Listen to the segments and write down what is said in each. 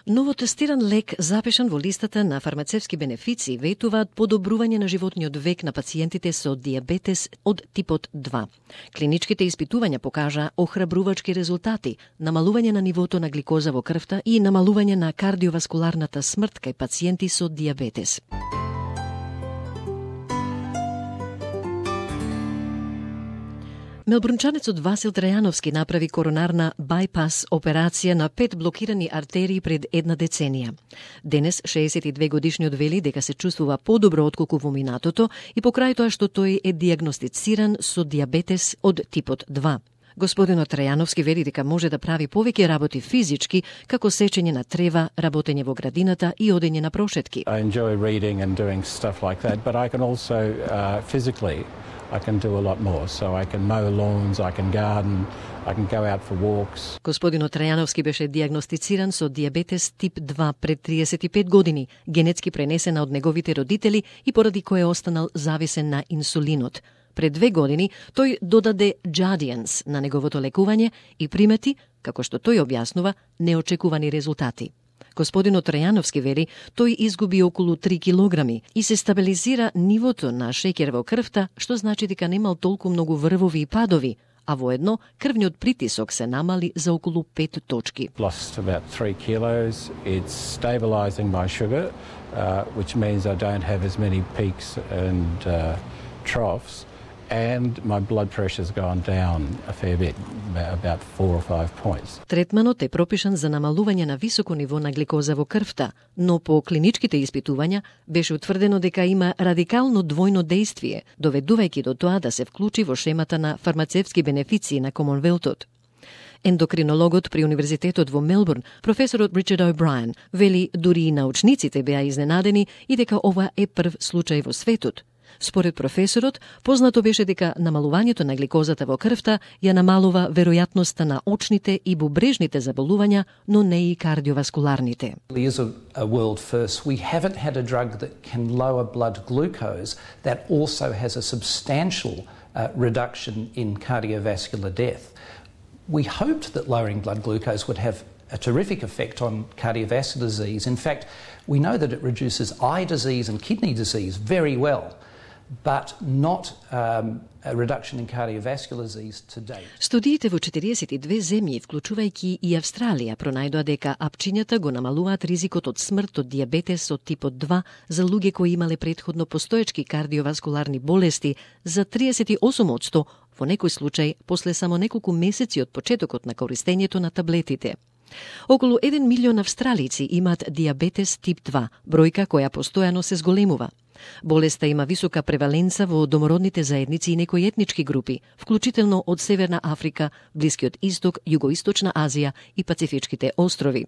Новотестиран лек запишан во листата на фармацевски бенефиции ветуваат подобрување на животниот век на пациентите со диабетес од типот 2. Клиничките испитувања покажаа охрабрувачки резултати, намалување на нивото на гликоза во крвта и намалување на кардиоваскуларната смрт кај пациенти со диабетес. Мелбурнчанецот Васил Трајановски направи коронарна байпас операција на 5 блокирани артерии пред една деценија. Денес 62 годишниот вели дека се чувствува подобро отколку во минатото и покрај тоа што тој е диагностициран со диабетес од типот 2. Господинот Трајановски вели дека може да прави повеќе работи физички, како сечење на трева, работење во градината и одење на прошетки. I enjoy reading and doing stuff like that, but I can also physically I can do a lot more. So I can mow lawns, I can garden, I can go out for walks. Господинот Трајановски беше диагностициран со диабетес тип 2 пред 35 години, генетски пренесена од неговите родители и поради кој останал зависен на инсулинот. Пред 2 години тој додаде Jardiance на неговото лекување и примети, како што тој објаснува, неочекувани резултати. Господинот Трајановски вели, тој изгуби околу 3 килограми и се стабилизира нивото на шеќер во крвта, што значи дека немал толку многу врвови и падови, а воедно крвниот притисок се намали за околу 5 точки. Lost about 3 kilos. It's stabilizing my sugar, which means I don't have as many peaks and troughs. And my blood pressure's gone down a fair bit, about 4 or 5 points. Третманот е пропишан за намалување на високо ниво на гликоза во крвта, но по клиничките испитувања беше утврдено дека има радикално двојно дејствие, доведувајќи до тоа да се вклучи во шемата на фармацевски бенефиции на Комонвелтот. Ендокринологот при Универзитетот во Мелбурн, професорот Ричард О'Брајен, вели дури и научниците беа изненадени и дека ова е прв случај во светот. Според професорот, познато беше дека намалувањето на гликозата во крвта ја намалува веројатноста на очните и бубрежните заболувања, но не и кардиоваскуларните. It is a world first. We haven't had a drug that can lower blood glucose that also has a substantial reduction in cardiovascular death. We hoped that lowering blood glucose would have a terrific effect on cardiovascular disease. In fact, we know that it reduces eye disease and kidney disease very well, but not a reduction in cardiovascular disease to date. Студиите во 42 земји, вклучувајќи и Австралија, пронајдоа дека апчињата го намалуваат ризикот од смрт од диабетес од типот 2 за луѓе кои имале претходно постоечки кардиоваскуларни болести за 38%, во некој случај после само неколку месеци од почетокот на користењето на таблетите. Околу 1 милион австралици имаат диабетес тип 2, бројка која постојано се зголемува. Болеста има висока преваленца во домородните заедници и некои етнички групи, вклучително од Северна Африка, Блискиот Исток, Југоисточна Азија и Пацифичките острови.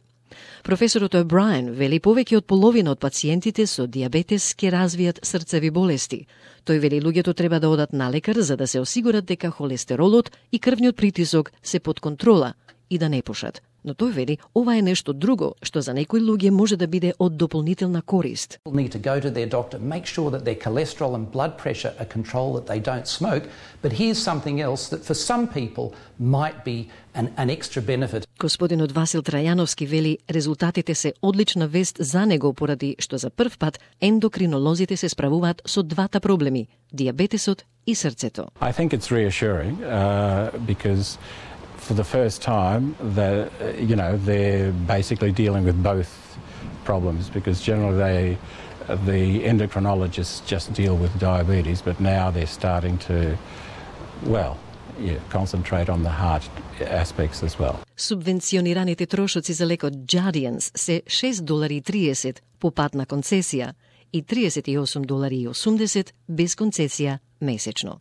Професорот О'Брајен вели повеќе од половина од пациентите со диабетес ќе развијат срцеви болести. Тој вели луѓето треба да одат на лекар за да се осигурат дека холестеролот и крвниот притисок се под контрола и да не пушат. Но тој вели ова е нешто друго што за некои луѓе може да биде од дополнителна корист. People need to go to their doctor, make sure that their cholesterol and blood pressure are controlled, that they don't smoke, but here's something else that for some people might be an extra benefit. Господинот Васил Трајановски вели резултатите се одлична вест за него поради што за прв пат ендокринолозите се справуваат со двата проблеми, диабетесот и срцето. I think it's reassuring because for the first time that they're basically dealing with both problems, because generally the endocrinologists just deal with diabetes, but now they're starting to concentrate on the heart aspects as well. Субвенционираните трошоци за лекот Jardiance се $6.30 по патна концесија и $38.80 без концесија месечно.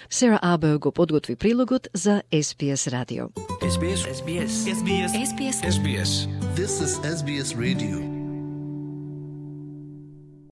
Сара Або го подготви прилогот за SBS радио. SBS. SBS. SBS. SBS. This is SBS Radio.